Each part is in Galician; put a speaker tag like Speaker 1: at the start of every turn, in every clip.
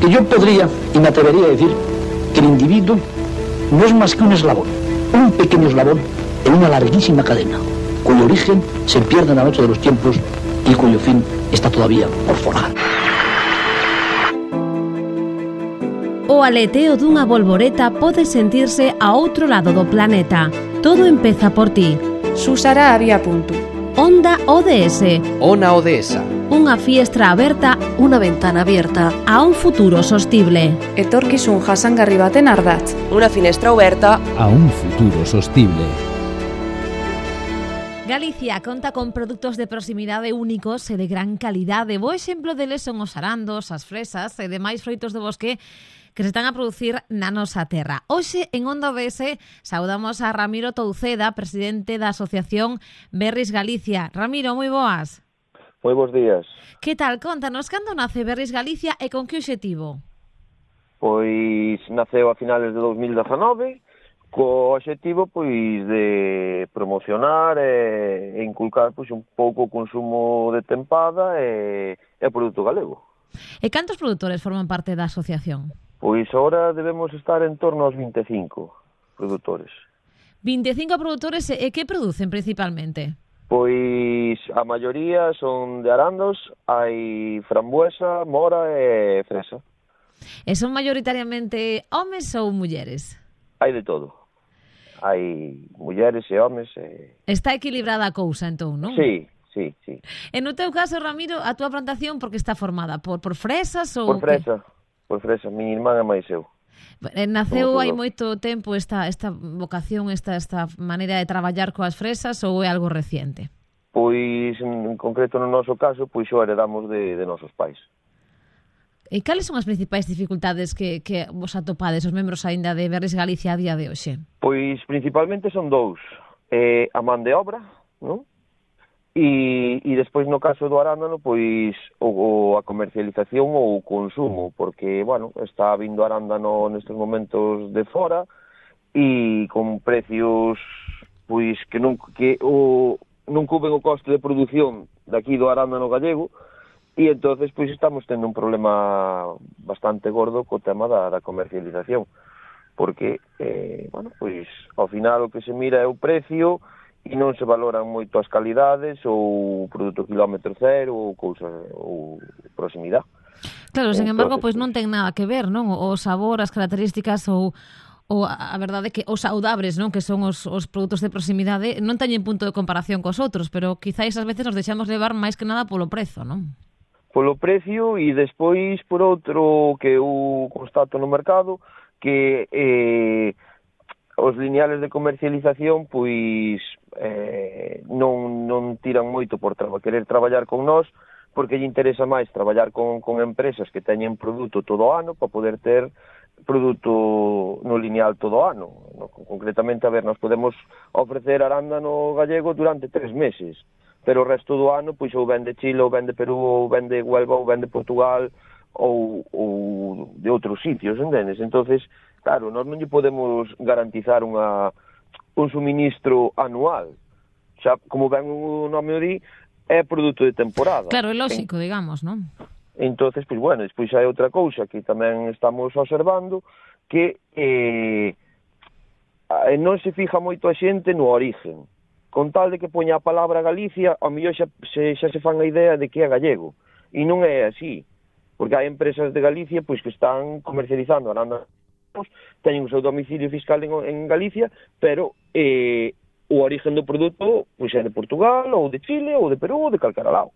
Speaker 1: Porque yo podría y me atrevería a decir que el individuo no es más que un eslabón, un pequeño eslabón en una larguísima cadena, cuyo origen se pierde en la noche de los tiempos y cuyo fin está todavía por forjar.
Speaker 2: O aleteo dunha bolboreta pode sentirse a outro lado do planeta. Todo empeza por ti.
Speaker 3: Susara había punto.
Speaker 2: Onda ODS.
Speaker 4: Ona Odesa.
Speaker 2: Unha fiestra aberta,
Speaker 5: unha ventana abierta
Speaker 2: a un futuro sostible.
Speaker 3: Etorkizun jasangarri baten ardatz.
Speaker 5: Unha finestra aberta
Speaker 4: a un futuro sostible.
Speaker 2: Galicia conta con produtos de proximidade únicos e de gran calidade. Bo exemplo deles son os arandos, as fresas e demais froitos do bosque que se están a producir na nosa terra. Hoxe, en Onda ODS, saudamos a Ramiro Touceda, presidente da Asociación Berris Galicia. Ramiro, moi boas.
Speaker 6: Moi bons días.
Speaker 2: Que tal? Contanos, cando nace Berris Galicia e con que obxectivo?
Speaker 6: Pois naceu a finales de 2019, co obxectivo pois de promocionar e inculcar pois un pouco o consumo de tempada e o produto galego.
Speaker 2: E cantos produtores forman parte da asociación?
Speaker 6: Pois agora debemos estar en torno aos 25 produtores.
Speaker 2: 25 produtores e que producen principalmente?
Speaker 6: Pois a maioría son de arandos, hai frambuesa, mora e fresa.
Speaker 2: E son maioritariamente homes ou mulleres?
Speaker 6: Hai de todo. Hai mulleres e homes e...
Speaker 2: Está equilibrada a cousa, entón, non?
Speaker 6: Sí.
Speaker 2: E no teu caso, Ramiro, a túa plantación por que está formada? Por fresas ou...
Speaker 6: Por fresa, mi irmán e máis eu.
Speaker 2: Naceu hai moito tempo esta vocación, esta maneira de traballar coas fresas ou é algo reciente?
Speaker 6: Pois, en concreto no noso caso, pois o heredamos de nosos pais.
Speaker 2: E cales son as principais dificultades que vos atopades, os membros aínda de Berris Galicia a día de hoxe?
Speaker 6: Pois, principalmente son dous. A man de obra, non? E despois no caso do arándano, pois a comercialización ou o consumo, porque, bueno, está vindo arándano nestes momentos de fora e con precios pois que non cubren o coste de produción daqui do arándano gallego e entonces pois estamos tendo un problema bastante gordo co tema da comercialización, porque, bueno, pois ao final o que se mira é o precio e non se valoran moito as calidades ou produto quilómetro cero ou cousa ou proximidade.
Speaker 2: Claro, sen embargo, pois non ten nada que ver, non? O sabor, as características ou a verdade que os saudables, non, que son os produtos de proximidade, non teñen punto de comparación cos outros, pero quizáis ás veces nos deixamos levar máis que nada polo prezo, non?
Speaker 6: Polo precio e despois por outro que eu constato no mercado que os lineales de comercialización pois non tiran moito por querer traballar con nós, porque lle interesa máis traballar con empresas que teñen produto todo o ano para poder ter produto no lineal todo o ano. Concretamente, a ver, nos podemos ofrecer arándano gallego durante 3 meses, pero o resto do ano pois ou vende Chile, ou vende Perú, ou vende Huelva, ou vende Portugal, ou de outros sitios, entendes? Entonces, claro, nós non lle podemos garantizar un suministro anual. Xa, como ben o nome o di, é produto de temporada.
Speaker 2: Claro, é lógico, digamos, non?
Speaker 6: Entonces, pois, bueno, despois hai outra cousa que tamén estamos observando, que non se fija moito a xente no origen. Con tal de que poña a palabra Galicia, ao mellor xa se fan a idea de que é gallego. E non é así, porque hai empresas de Galicia pois que están comercializando arándanos, teñen o seu domicilio fiscal en Galicia, pero o origen do produto pois é de Portugal, ou de Chile, ou de Perú, ou de calquera lado.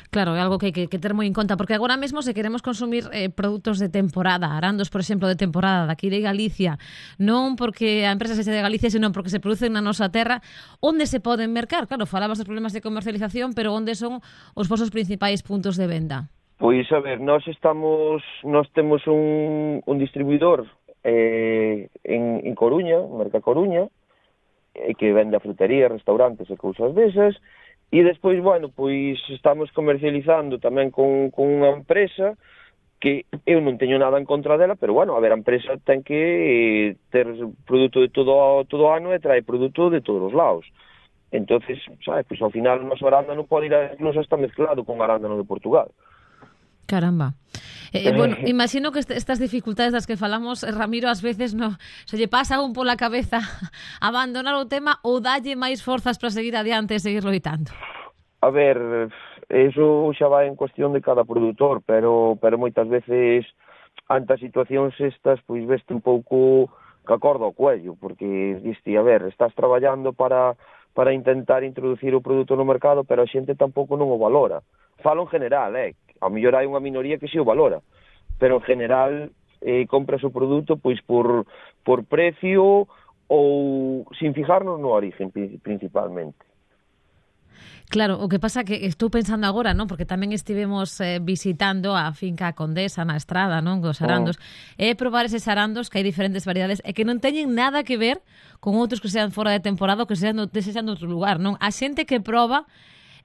Speaker 2: Claro, é algo que hai que ter moi en conta, porque agora mesmo se queremos consumir produtos de temporada, arandos, por exemplo, de temporada daqui de Galicia, non porque a empresa sexa de Galicia, senón porque se producen na nosa terra, onde se poden mercar? Claro, falabas dos problemas de comercialización, pero onde son os vosos principais puntos de venda?
Speaker 6: Pois, a ver, nós temos un distribuidor en Coruña, Merca Coruña, que vende a frutería, restaurantes e cousas desas. E despois, bueno, pois estamos comercializando tamén con unha empresa que eu non teño nada en contra dela, pero, bueno, a ver, a empresa ten que ter produto de todo o ano e trae produto de todos os lados. Entonces, sabes, pois ao final o noso arándano pode ir incluso hasta mezclado con arándano de Portugal.
Speaker 2: Caramba. Bueno, imagino que estas dificultades das que falamos, Ramiro, ás veces se lle pasa un pola cabeza abandonar o tema ou dalle máis forzas para seguir adiante e seguir loitando?
Speaker 6: A ver, eso xa vai en cuestión de cada produtor, pero moitas veces ante as situacións estas, pois veste un pouco que acorda ao cuello, porque diste, a ver, estás traballando para intentar introducir o produto no mercado, pero a xente tampouco non o valora. Falo en general, a mellor hai unha minoría que si o valora, pero en general compras o produto pois por precio ou sin fijarnos no origen principalmente.
Speaker 2: Claro, o que pasa que estou pensando agora, non? Porque tamén estivemos visitando a finca Condesa na Estrada, non? Os arandos. E probar eses arandos que hai diferentes variedades e que non teñen nada que ver con outros que sean fora de temporada ou que sean de outro lugar, non? A xente que proba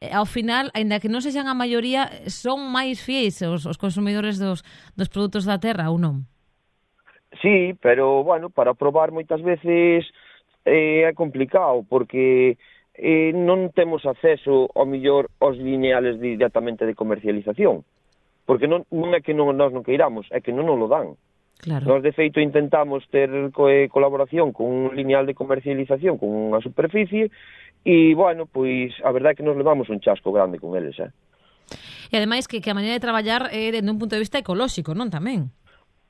Speaker 2: ao final, aínda que non sexan a maioría, son máis fiéis os consumidores dos produtos da terra ou non?
Speaker 6: Sí, pero, bueno, para probar moitas veces é complicado, porque non temos acceso, ao mellor, aos lineales directamente de comercialización, porque non é que nós non queiramos, é que non nos lo dan.
Speaker 2: Claro.
Speaker 6: Nós, de feito, intentamos ter colaboración con un lineal de comercialización, con unha superficie, e, bueno, pois, a verdade é que nos levamos un chasco grande con eles,
Speaker 2: E, ademais, que a maneira de traballar é dende un punto de vista ecolóxico, non tamén?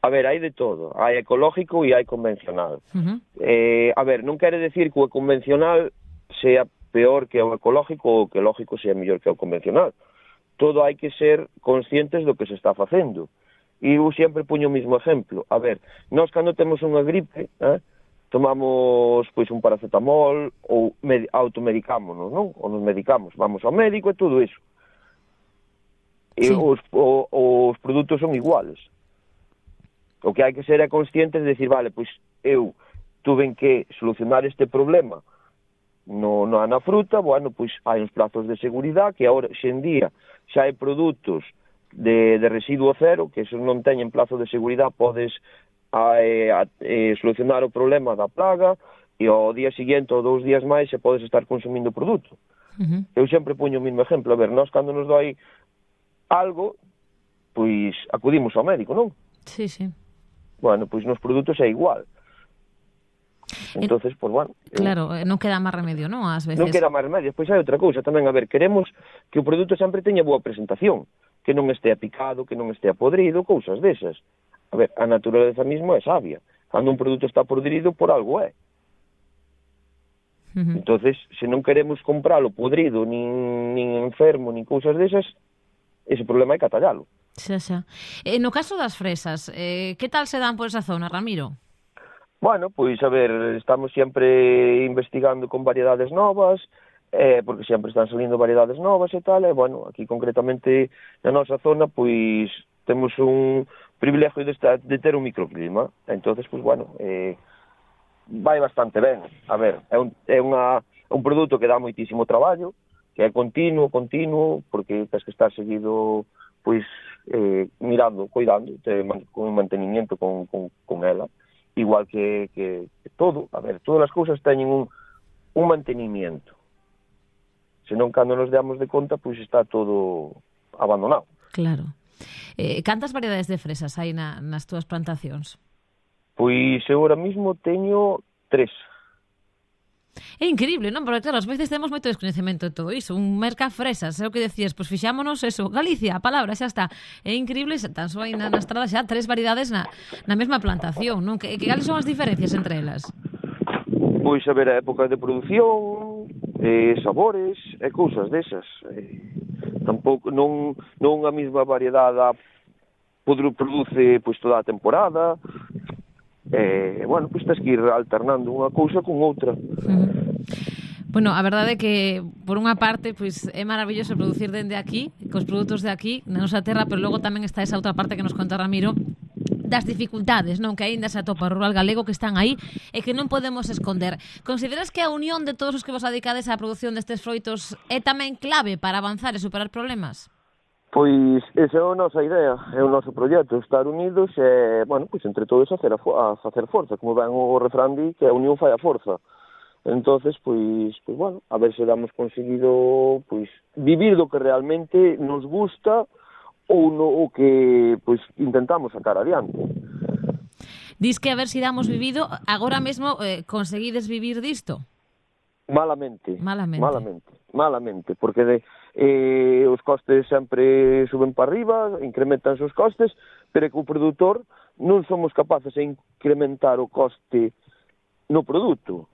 Speaker 6: A ver, hai de todo. Hai ecológico e hai convencional. A ver, non quere decir que o convencional sea peor que o ecológico ou que o ecológico sea mellor que o convencional. Todo hai que ser conscientes do que se está facendo. E eu sempre puño o mismo exemplo. A ver, nós cando temos unha gripe, tomamos pois un paracetamol ou automedicámonos, non? Ou nos medicamos, vamos ao médico e todo iso. E
Speaker 2: sí.
Speaker 6: Os produtos son iguales. O que hai que ser é conscientes de decir, vale, pois eu tuven que solucionar este problema na fruta, bueno, pois hai uns prazos de seguridade que agora, xe en día, xa hai produtos de residuo cero, que se non teñen plazo de seguridade, podes solucionar o problema da plaga e ao día seguinte ou 2 días máis se podes estar consumindo o produto. Eu sempre puño o mesmo exemplo. A ver, nós cando nos doi algo, pois acudimos ao médico, non?
Speaker 2: Sí, sí.
Speaker 6: Bueno, pois nos produtos é igual. Entonces, pois, bueno...
Speaker 2: Claro, non queda máis remedio, non? Ás veces.
Speaker 6: Non queda máis remedio. Pois hai outra cousa tamén. A ver, queremos que o produto sempre teña boa presentación, que non estea picado, que non estea podrido, cousas desas. A ver, a naturaleza mismo é sabia. Cando un produto está podrido, por algo é. Entonces, se non queremos compralo podrido, nin enfermo, nin cousas desas, ese problema hai que atallalo.
Speaker 2: Xa. No caso das fresas, que tal se dan por esa zona, Ramiro?
Speaker 6: Bueno, pois, a ver, estamos sempre investigando con variedades novas, porque sempre están salindo variedades novas e tal, e, bueno, aquí concretamente na nosa zona, pois, temos un privilegio de ter un microclima, entonces, pois, bueno, vai bastante ben. A ver, é un produto que dá moitísimo traballo, que é continuo, porque tens que estar seguido, pois, mirando, cuidando, con mantenimiento con ela, igual que todo. A ver, todas as cousas teñen un mantenimiento. Senón, cando nos damos de conta, pois está todo abandonado.
Speaker 2: Claro. Cantas variedades de fresas hai nas túas plantacións?
Speaker 6: Pois eu ahora mismo teño 3.
Speaker 2: É increíble, non? Porque, claro, ás veces temos moito descoñecemento de todo iso. Un merca fresas, é o que decías, pois fixámonos eso, Galicia, a palabra, xa está. É increíble, tan só hai na estrada xa 3 variedades na mesma plantación, non? Que cales son as diferencias entre elas?
Speaker 6: Pois, a ver, a época de produción, sabores e cousas desas. Tampouco, non a mesma variedade produce pois toda a temporada. Bueno, pois tens que ir alternando unha cousa con outra.
Speaker 2: Bueno, a verdade é que, por unha parte, pois é maravilloso producir dende aquí, cos produtos de aquí, na nosa terra, pero logo tamén está esa outra parte que nos conta Ramiro, das dificultades, non, que aínda se atopa o rural galego, que están aí e que non podemos esconder. Consideras que a unión de todos os que vos dedicades á produción destes froitos é tamén clave para avanzar e superar problemas?
Speaker 6: Pois esa é a nosa idea, é o noso proxecto, estar unidos e, bueno, pois entre todos a facer forza, como ven o refrán di, que a unión fai a forza. Entonces, pois, bueno, a ver se damos conseguido, pois, vivir do que realmente nos gusta o que pois intentamos sacar adiante.
Speaker 2: Dis que a ver se damos vivido, agora mesmo conseguides vivir disto?
Speaker 6: Malamente, porque os costes sempre suben para arriba, incrementanse os costes, pero que o produtor non somos capaces de incrementar o coste no produto.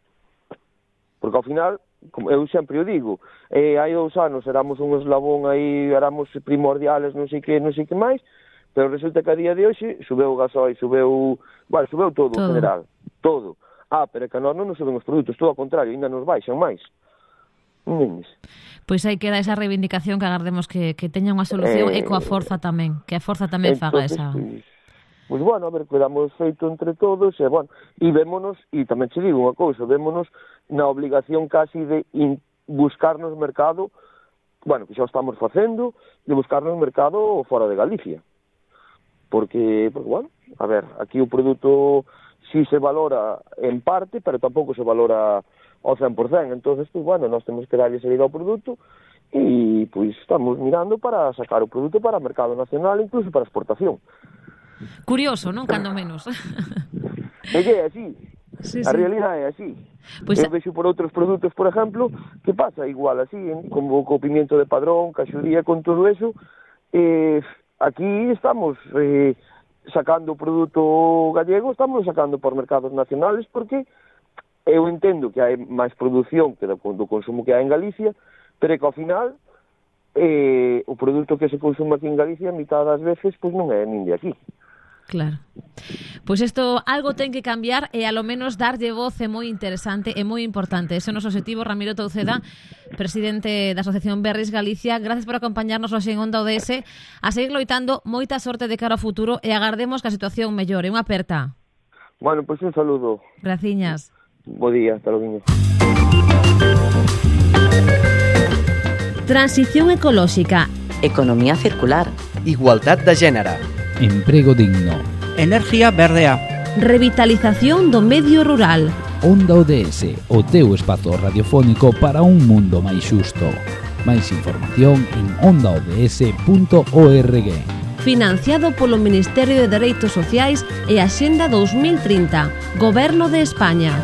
Speaker 6: Porque ao final, como eu sempre o digo, hai 2 anos éramos un eslabón aí, éramos primordiales, non sei que máis, pero resulta que a día de hoxe subeu o gasoil, subeu todo en general, todo. Pero que a nós non nos suben os produtos, todo ao contrario, ainda nos baixan máis.
Speaker 2: Pois aí queda esa reivindicación que agardemos que teña unha solución e coa forza tamén, que a forza tamén faga esa...
Speaker 6: Pois bueno, a ver, quedamos feito entre todos, e vémonos, e tamén che digo unha cousa, vémonos na obligación casi de buscarnos mercado, que xa estamos facendo, de buscarnos mercado fora de Galicia. Porque a ver, aquí o produto si se valora en parte, pero tampouco se valora ao 100%, entonces, nós temos que darlle salida ao produto e, estamos mirando para sacar o produto para o mercado nacional, incluso para exportación.
Speaker 2: Curioso, non? Cando menos.
Speaker 6: É que é así. Sí. A realidade é así. Eu vexo por outros produtos, por exemplo, que pasa igual así, como co pimiento de Padrón, caxuría, con todo eso, aquí estamos sacando o produto gallego, estamos sacando por mercados nacionales, porque eu entendo que hai máis produción que do consumo que hai en Galicia, pero que ao final o produto que se consume aquí en Galicia, a mitad das veces, non é nin de aquí.
Speaker 2: Claro. Pois isto algo ten que cambiar e a lo menos darlle voz é moi interesante e moi importante. Ese é o noso objetivo. Ramiro Touceda, presidente da Asociación Berris Galicia, gracias por acompañarnos hoxe en Onda ODS. A seguir loitando, moita sorte de cara ao futuro e agardemos que a situación mellore. Unha aperta.
Speaker 6: Pois un saludo.
Speaker 2: Graciñas.
Speaker 6: Bo día, hasta logo.
Speaker 7: Transición ecolóxica.
Speaker 5: Economía circular.
Speaker 4: Igualdad de género. Emprego digno.
Speaker 8: Enerxía verdea.
Speaker 7: Revitalización do medio rural.
Speaker 4: Onda ODS, o teu espazo radiofónico para un mundo máis xusto. Máis información en ondaods.org.
Speaker 7: Financiado polo Ministerio de Dereitos Sociais e Axenda 2030, Goberno de España.